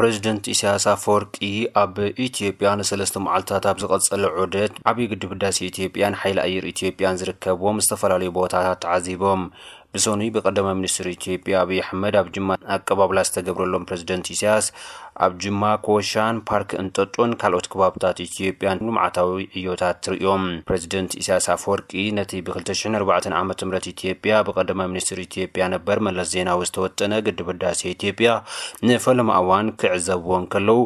ፕሬዚደንት ኢሳያስ ኣፈወርቂ ኣብ ኢትዮጵያ ንሰለስተ መዓልታት ኣብ ዝቐጸለ ዑደት ዓብዪ ግድብ ህዳሴ ኢትዮጵያን ሓይሊ ኣየር ኢትዮጵያን ዝርከብዎም ዝተፈላለዩ ቦታታት ተዓዚቦም። ብሰኑይ ብቀዳማይ ሚኒስትር ኢትዮጵያ ኣብይ ኣሕመድ ኣብ ጅማ ኣቀባብላ ዝተገብረሎም ፕሬዚደንት ኢሳያስ ኣብ ጅማ፣ ኮሻን ፓርክ እንጠጦን ካልኦት ከባብታት ኢትዮጵያን ልምዓታዊ ዕዮታት ትርእዮም። ፕሬዚደንት ኢሳያስ ኣፈወርቂ ነቲ ብ ክልተ ሽሕን ኣርባዕተን ዓመተ ምህረት ኢትዮጵያ ብቀዳማይ ሚኒስትር ኢትዮጵያ ነበር መለስ ዜናዊ ዝተወጠነ ግድብ ህዳሴ ኢትዮጵያ ንፈለማ እዋን ክዕዘብዎ እንከለዉ፣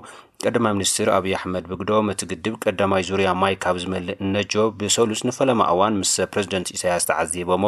ቀዳማይ ሚኒስትር ኣብይ ኣሕመድ ብግደኦም እቲ ግድብ ቀዳማይ ዙርያ ማይ ካብ ዝመልእ እነጆ ብሰሉስ ንፈለማ እዋን ምስ ፕሬዚደንት ኢሳያስ ተዓዚቦሞ።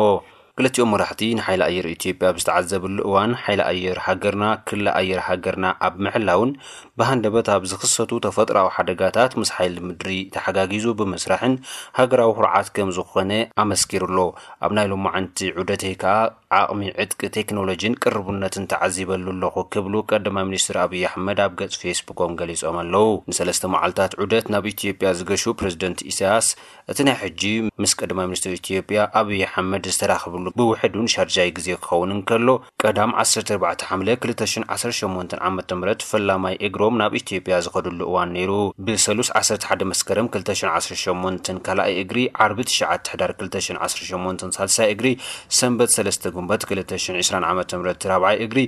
ክልቲኦም መራሕቲ ንሓይሊ ኣየር ኢትዮጵያ ኣብ ዝተዓዘብሉ እዋን፣ ሓይሊ ኣየር ሃገርና፣ ክሊ ኣየር ሃገርና ኣብ ምሕላውን ብሃንደበት ኣብ ዝኽሰቱ ተፈጥሮኣዊ ሓደጋታት ምስ ሓይሊ ምድሪ ተሓጋጊዙ ብምስራሕን ሃገራዊ ኩርዓት ከም ዝኾነ ኣመስኪሩሎ። ኣብ ናይ ሎማዓንቲ ዑደተይ ከኣ ዓቕሚ ዕጥቂ ቴክኖሎጂን ቅርቡነትን ተዓዚበሉ ኣለኹ ክብሉ ቀዳማይ ሚኒስትር ኣብይ ኣሕመድ ኣብ ገጽ ፌስቡኮም ገሊጾም ኣለዉ። ንሰለስተ መዓልታት ዑደት ናብ ኢትዮጵያ ዝገሹ ፕሬዚደንት ኢሳያስ እቲ ናይ ሕጂ ምስ ቀዳማይ ሚኒስትር ኢትዮጵያ ኣብይ ኣሕመድ ዝተራኸብሉ ብውሕዱን ሻርጃይ ግዜ ክኸውን እንከሎ፣ ቀዳም ዓሰርተ ኣርባዕተ ሓምለ ክልተ ሽሕን ዓሰርተ ሸሞንተን ዓመተ ምህረት ፈላማይ እግሮም ናብ ኢትዮጵያ ዝኸድሉ እዋን ነይሩ። ብሰሉስ ዓሰርተ ሓደ መስከረም ክልተ ሽሕን ዓሰርተ ሸሞንተን ካልኣይ እግሪ፣ ዓርቢ ትሽዓተ ሕዳር ክልተ ሽሕን ዓሰርተ ሸሞንተን ሳልሳይ እግሪ፣ ሰንበት ሰለስተ ጉንበት ክልተ ሽሕን ዕስራን ዓመተ ምህረት ራብዓይ እግሪ፣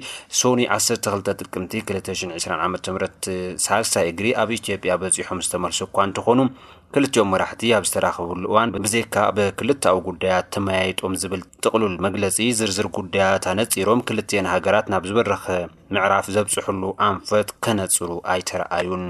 ሶኒ ዓሰርተ ክልተ ጥቅምቲ ክልተ ሽሕን ዕስራን ዓመተ ምህረት ሳልሳይ እግሪ ኣብ ኢትዮጵያ በጺሖም ዝተመልሱ እኳ እንተኾኑ፣ ክልቲኦም መራሕቲ ኣብ ዝተራኸብሉ እዋን ብዘይካ ብክልተኣዊ ጉዳያት ተመያይጦም ዝብል ጥቕሉል መግለጺ፣ ዝርዝር ጉዳያት ኣነጺሮም ክልቲኤን ሃገራት ናብ ዝበረኸ ምዕራፍ ዘብጽሕሉ ኣንፈት ከነጽሩ ኣይተረኣዩን።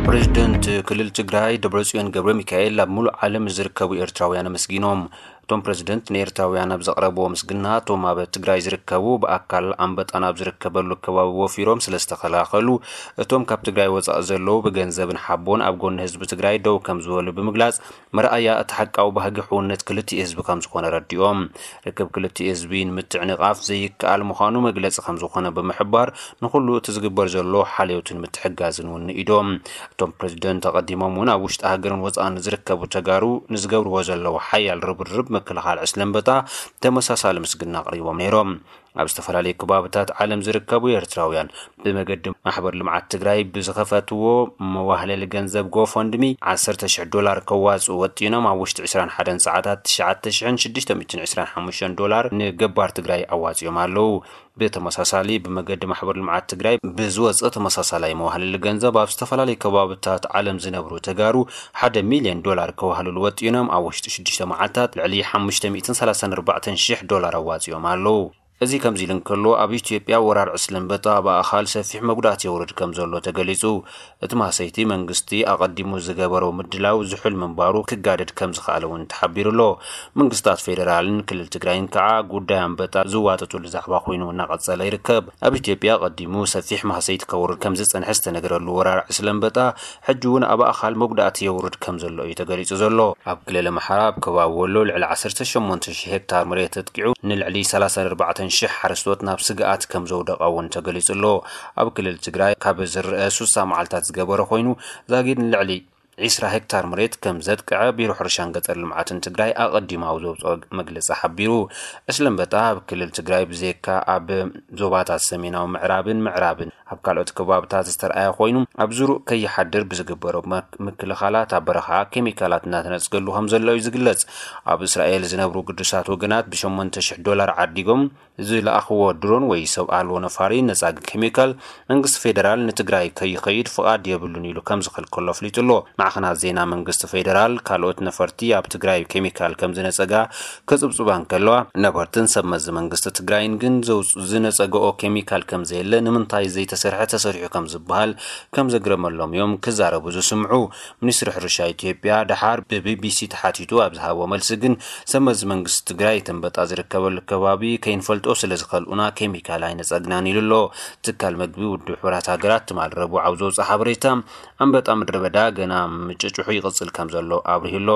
ፕሬዚደንት ክልል ትግራይ ደብረጽዮን ገብረ ሚካኤል ኣብ ሙሉእ ዓለም ዝርከቡ ኤርትራውያን ኣመስጊኖም። እቶም ፕሬዚደንት ንኤርትራውያን ኣብ ዘቕረብዎ ምስግና፣ እቶም ኣብ ትግራይ ዝርከቡ ብኣካል ኣንበጣ ናብ ዝርከበሉ ከባቢ ወፊሮም ስለ ዝተኸላኸሉ፣ እቶም ካብ ትግራይ ወጻኢ ዘለዉ ብገንዘብን ሓቦን ኣብ ጎኒ ህዝቢ ትግራይ ደው ከም ዝበሉ ብምግላጽ፣ መርኣያ እቲ ሓቃዊ ባህጊ ሕውነት ክልቲኡ ህዝቢ ከም ዝኾነ ረዲኦም። ርክብ ክልቲኡ ህዝቢ ንምትዕንቓፍ ዘይከኣል ምዃኑ መግለጺ ከም ዝኾነ ብምሕባር፣ ንኹሉ እቲ ዝግበር ዘሎ ሓልዮትን ምትሕጋዝን እውን ንኢዶም። እቶም ፕሬዚደንት ኣቐዲሞም እውን ኣብ ውሽጢ ሃገርን ወጻእን ዝርከቡ ተጋሩ ንዝገብርዎ ዘለዉ ሓያል ርብርብ ምክልኻል ዕስለ ኣንበጣ ተመሳሳሊ ምስግና ኣቕሪቦም ነይሮም። ኣብ ዝተፈላለዩ ከባብታት ዓለም ዝርከቡ ኤርትራውያን ብመገዲ ማሕበር ልምዓት ትግራይ ብዝኸፈትዎ መዋህለሊ ገንዘብ ጎፈንድሚ ዓሰርተ ሽሕ ዶላር ከዋፅኡ ወጢኖም ኣብ ውሽጢ ዕስራን ሓደን ሰዓታት ትሽዓተ ሽሕን ሽዱሽተ ሚእትን ዕስራን ሓሙሽተን ዶላር ንገባር ትግራይ ኣዋፂኦም ኣለዉ። ብተመሳሳሊ ብመገዲ ማሕበር ልምዓት ትግራይ ብዝወፀ ተመሳሳላይ መዋህለሊ ገንዘብ ኣብ ዝተፈላለዩ ከባብታት ዓለም ዝነብሩ ተጋሩ ሓደ ሚልዮን ዶላር ከዋህልሉ ወጢኖም ኣብ ውሽጢ ሽዱሽተ መዓልታት ልዕሊ ሓሙሽተ ሚእትን ሰላሳን ኣርባዕተን ሽሕ ዶላር ኣዋፂኦም ኣለዉ። እዚ ከምዚ ኢሉ እንከሎ፣ ኣብ ኢትዮጵያ ወራር ዕስለ ኣንበጣ ብኣኻል ሰፊሕ መጉዳእቲ የውርድ ከም ዘሎ ተገሊጹ። እቲ ማህሰይቲ መንግስቲ ኣቐዲሙ ዝገበሮ ምድላው ዝሑል ምንባሩ ክጋደድ ከም ዝኸኣለ እውን ተሓቢሩ ኣሎ። መንግስታት ፌደራልን ክልል ትግራይን ከኣ ጉዳይ ኣንበጣ ዝዋጠጡሉ ዛዕባ ኮይኑ እናቐጸለ ይርከብ። ኣብ ኢትዮጵያ ኣቐዲሙ ሰፊሕ ማህሰይቲ ከውርድ ከም ዝጸንሐ ዝተነገረሉ ወራር ዕስለ ኣንበጣ ሕጂ እውን ኣብ ኣኻል መጉዳእቲ የውርድ ከም ዘሎ እዩ ተገሊጹ ዘሎ። ኣብ ክልል ኣምሓራ ኣብ ከባቢ ወሎ ልዕሊ ዓሰርተ ሸሞንተ ሽሕ ሄክታር መሬት ተጥቂዑ ንልዕሊ ሰላሳን ኣርባዕተን ሽሕ ሓረስቶት ናብ ስግኣት ከም ዘውደቐ እውን ተገሊጹ ኣሎ። ኣብ ክልል ትግራይ ካብ ዝረአ ሱሳ መዓልታት ዝገበረ ኮይኑ ዛጊድ ንልዕሊ ዒስራ ሄክታር መሬት ከም ዘጥቅዐ ቢሮ ሕርሻን ገጠር ልምዓትን ትግራይ ኣቐዲሙ ኣብ ዘውፅኦ መግለፂ ሓቢሩ። ዕስለ ኣንበጣ ኣብ ክልል ትግራይ ብዘይካ ኣብ ዞባታት ሰሜናዊ ምዕራብን ምዕራብን ኣብ ካልኦት ከባብታት ዝተርኣየ ኮይኑ፣ ኣብ ዙሩእ ከይሓድር ብዝግበሮ መክ-፣ ምክልኻላት ኣብ በረኻ ኬሚካላት እናተነጽገሉ ከም ዘሎ እዩ ዝግለጽ። ኣብ እስራኤል ዝነብሩ ግዱሳት ወገናት ብሸሞንተ ሽሕ ዶላር ዓዲጎም ዝለኣኽዎ ድሮን ወይ ሰብ ኣልቦ ነፋሪ ነጻጊ ኬሚካል መንግስቲ ፌደራል ንትግራይ ከይኸይድ ፍቓድ የብሉን ኢሉ ከም ዝኸልከሎ ኣፍሊጡ ኣሎ። ማዕኸናት ዜና መንግስቲ ፌደራል ካልኦት ነፈርቲ ኣብ ትግራይ ኬሚካል ከም ዝነጸጋ ከጽብጽባ እንከለዋ፣ ነበርትን ሰብ መዚ መንግስቲ ትግራይን ግን ዘውጽ-፣ ዝነጸገኦ ኬሚካል ከም ዘየለ፣ ንምንታይ ዘይተሰርሐ ተሰሪሑ ከም ዝበሃል ከም ዘግረመሎም እዮም ክዛረቡ ዝስምዑ። ሚኒስትሪ ሕርሻ ኢትዮጵያ ደሓር ብቢቢሲ ተሓቲቱ ኣብ ዝሃቦ መልሲ ግን፣ ሰብ መዚ መንግስቲ ትግራይ እቲ ኣንበጣ ዝርከበሉ ከባቢ ከይንፈልጦ ስለ ዝኸልኡና ኬሚካል ኣይነጸግናን ኢሉ ኣሎ። ትካል መግቢ ውድብ ሕቡራት ሃገራት ትማል ረቡዕ ኣብ ዘውፅኦ ሓበሬታ፣ ኣንበጣ ምድረ በዳ ገና ምጭጭሑ ይቕጽል ከም ዘሎ ኣብሪሁ ኣሎ።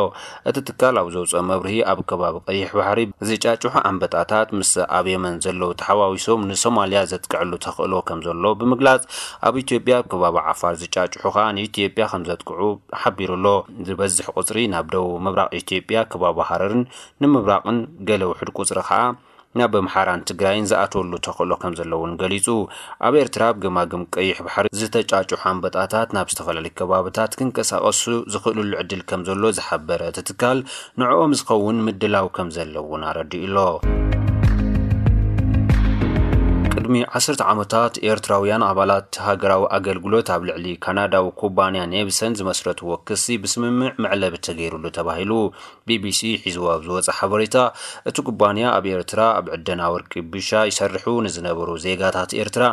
እቲ ትካል ኣብ ዘውፅኦ መብርሂ፣ ኣብ ከባቢ ቀይሕ ባሕሪ ዝጫጭሑ ኣንበጣታት ምስ ኣብ የመን ዘለዉ ተሓዋዊሶም ንሶማልያ ዘጥቅዕሉ ተኽእሎ ከም ዘሎ ብምግላጽ፣ ኣብ ኢትዮጵያ ኣብ ከባቢ ዓፋር ዝጫጭሑ ከኣ ንኢትዮጵያ ከም ዘጥቅዑ ሓቢሩ ኣሎ። ዝበዝሕ ቁጽሪ ናብ ደቡብ ምብራቕ ኢትዮጵያ ከባቢ ሃረርን ንምብራቕን ገለ ውሑድ ቁጽሪ ከኣ ናብ ኣምሓራን ትግራይን ዝኣተወሉ ተኽእሎ ከም ዘለውን ገሊጹ። ኣብ ኤርትራ ኣብ ገማግም ቀይሕ ባሕሪ ዝተጫጭሑ ኣንበጣታት ናብ ዝተፈላለዩ ከባብታት ክንቀሳቐሱ ዝኽእሉሉ ዕድል ከም ዘሎ ዝሓበረ እቲ ትካል፣ ንዕኦም ዝኸውን ምድላው ከም ዘለውን ኣረዲኡ ኣሎ። ቅድሚ ዓሰርተ ዓመታት ኤርትራውያን ኣባላት ሃገራዊ ኣገልግሎት ኣብ ልዕሊ ካናዳዊ ኩባንያ ኔብሰን ዝመስረትዎ ክሲ ብስምምዕ መዕለቢ ተገይሩሉ ተባሂሉ። ቢቢሲ ሒዝዎ ኣብ ዝወጸ ሓበሬታ፣ እቲ ኩባንያ ኣብ ኤርትራ ኣብ ዕደና ወርቂ ብሻ ይሰርሑ ንዝነበሩ ዜጋታት ኤርትራ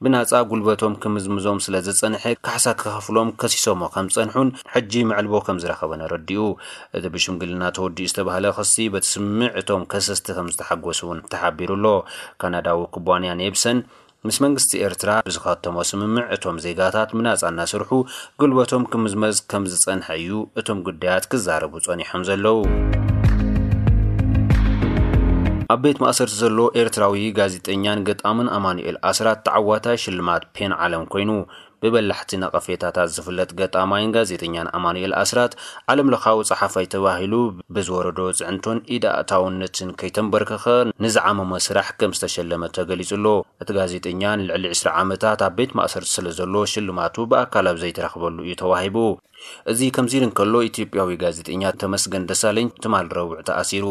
ብናጻ ጉልበቶም ክምዝምዞም ስለ ዝጸንሐ ካሕሳ ክኸፍሎም ከሲሶሞ ከም ዝጸንሑን ሕጂ መዕልቦ ከም ዝረኸበን ኣረዲኡ። እቲ ብሽምግልና ተወዲኡ ዝተባህለ ክሲ በቲ ስምምዕ እቶም ከሰስቲ ከም ዝተሓጎሱ እውን ተሓቢሩ ኣሎ። ካናዳዊ ኩባንያ ኔብሰን ምስ መንግስቲ ኤርትራ ብዝኸተሞ ስምምዕ እቶም ዜጋታት ብናጻ እናሰርሑ ጉልበቶም ክምዝመዝ ከም ዝጸንሐ እዩ እቶም ጉዳያት ክዛረቡ ጸኒሖም ዘለዉ። ኣብ ቤት ማእሰርቲ ዘሎ ኤርትራዊ ጋዜጠኛን ገጣምን ኣማኑኤል ኣስራት ተዓዋታይ ሽልማት ፔን ዓለም ኮይኑ፣ ብበላሕቲ ነቐፌታታት ዝፍለጥ ገጣማይን ጋዜጠኛን ኣማኑኤል ኣስራት፣ ዓለም ለኻዊ ጸሓፋይ ተባሂሉ ብዝወረዶ ጽዕንቶን ኢድ ኣእታውነትን ከይተንበርከኸ ንዝዓመሞ ስራሕ ከም ዝተሸለመ ተገሊጹ ኣሎ። እቲ ጋዜጠኛ ንልዕሊ ዕስራ ዓመታት ኣብ ቤት ማእሰርቲ ስለ ዘሎ ሽልማቱ ብኣካል ኣብ ዘይተረኽበሉ እዩ ተዋሂቡ። እዚ ከምዚ ኢሉ እንከሎ፣ ኢትዮጵያዊ ጋዜጠኛ ተመስገን ደሳለኝ ትማል ረቡዕ ተኣሲሩ።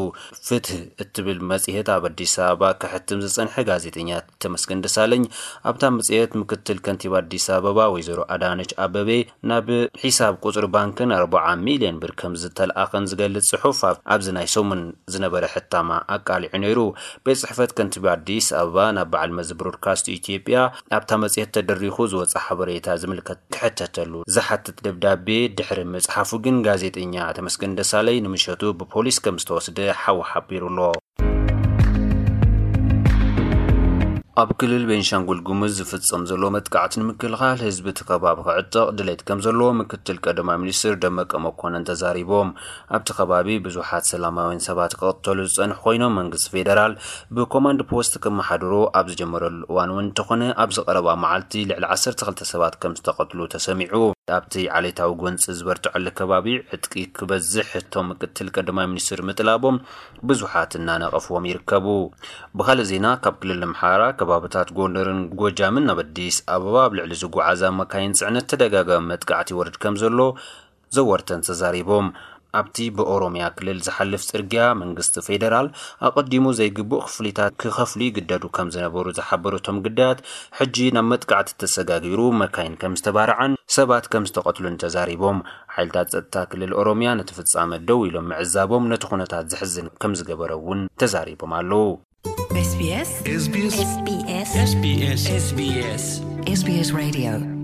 ፍትህ እትብል መጽሔት ኣብ ኣዲስ ኣበባ ከሕትም ዝጸንሐ ጋዜጠኛ ተመስገን ደሳለኝ፣ ኣብታ መጽሔት ምክትል ከንቲባ ኣዲስ ኣበባ ወይዘሮ ኣዳነች ኣበቤ ናብ ሒሳብ ቁጽሪ ባንክን ኣርብዓ ሚልዮን ብር ከም ዝተልኣኸን ዝገልጽ ጽሑፍ ኣብ-፣ ኣብዚ ናይ ሰሙን ዝነበረ ሕታማ ኣቃሊዑ ነይሩ። ቤት ጽሕፈት ከንቲባ ኣዲስ ኣበባ ናብ በዓል መዚ ብሮድካስት ኢትዮጵያ ኣብታ መጽሔት ተደሪኹ ዝወጸ ሓበሬታ ዝምልከት ክሕተተሉ ዝሓትት ደብዳቤ ድሕሪ ምጽሓፉ ግን፣ ጋዜጠኛ ተመስገን ደሳለኝ ንምሸቱ ብፖሊስ ከም ዝተወስደ ሓው ሓቢሩ ኣሎ። ኣብ ክልል ቤንሻንጉል ጉሙዝ ዝፍጸም ዘሎ መጥቃዕቲ ንምክልኻል ህዝቢ እቲ ከባቢ ክዕጠቕ ድሌት ከም ዘለዎ ምክትል ቀዳማይ ሚኒስትር ደመቀ መኮንን ተዛሪቦም። ኣብቲ ከባቢ ብዙሓት ሰላማውያን ሰባት ክቕተሉ ዝጸንሑ ኮይኖም፣ መንግስቲ ፌደራል ብኮማንድ ፖስት ክመሓድሮ ኣብ ዝጀመረሉ እዋን እውን እንተኾነ፣ ኣብዚ ቀረባ መዓልቲ ልዕሊ ዓሰርተ ክልተ ሰባት ከም ዝተቐትሉ ተሰሚዑ። ኣብቲ ዓሌታዊ ጎንጺ ዝበርትዐሉ ከባቢ ዕጥቂ ክበዝሕ እቶም ምክትል ቀዳማይ ሚኒስትር ምጥላቦም ብዙሓት እናነቐፍዎም ይርከቡ። ብኻልእ ዜና፣ ካብ ክልል ኣምሓራ ከባብታት ጎንደርን ጎጃምን ናብ ኣዲስ ኣበባ ኣብ ልዕሊ ዝጓዓዛ መካይን ጽዕነት ተደጋጋሚ መጥቃዕቲ ይወርድ ከም ዘሎ ዘወርተን ተዛሪቦም። ኣብቲ ብኦሮምያ ክልል ዝሓልፍ ጽርግያ መንግስቲ ፌደራል ኣቐዲሙ ዘይግቡእ ክፍሊታት ክኸፍሉ ይግደዱ ከም ዝነበሩ ዝሓበሩ እቶም ግዳያት፣ ሕጂ ናብ መጥቃዕቲ ተሰጋጊሩ መካይን ከም ዝተባርዓን ሰባት ከም ዝተቐትሉን ተዛሪቦም። ሓይልታት ጸጥታ ክልል ኦሮምያ ነቲ ፍጻመ ደው ኢሎም ምዕዛቦም ነቲ ኩነታት ዘሕዝን ከም ዝገበረ እውን ተዛሪቦም ኣለዉ። SBS SBS SBS SBS SBS Radio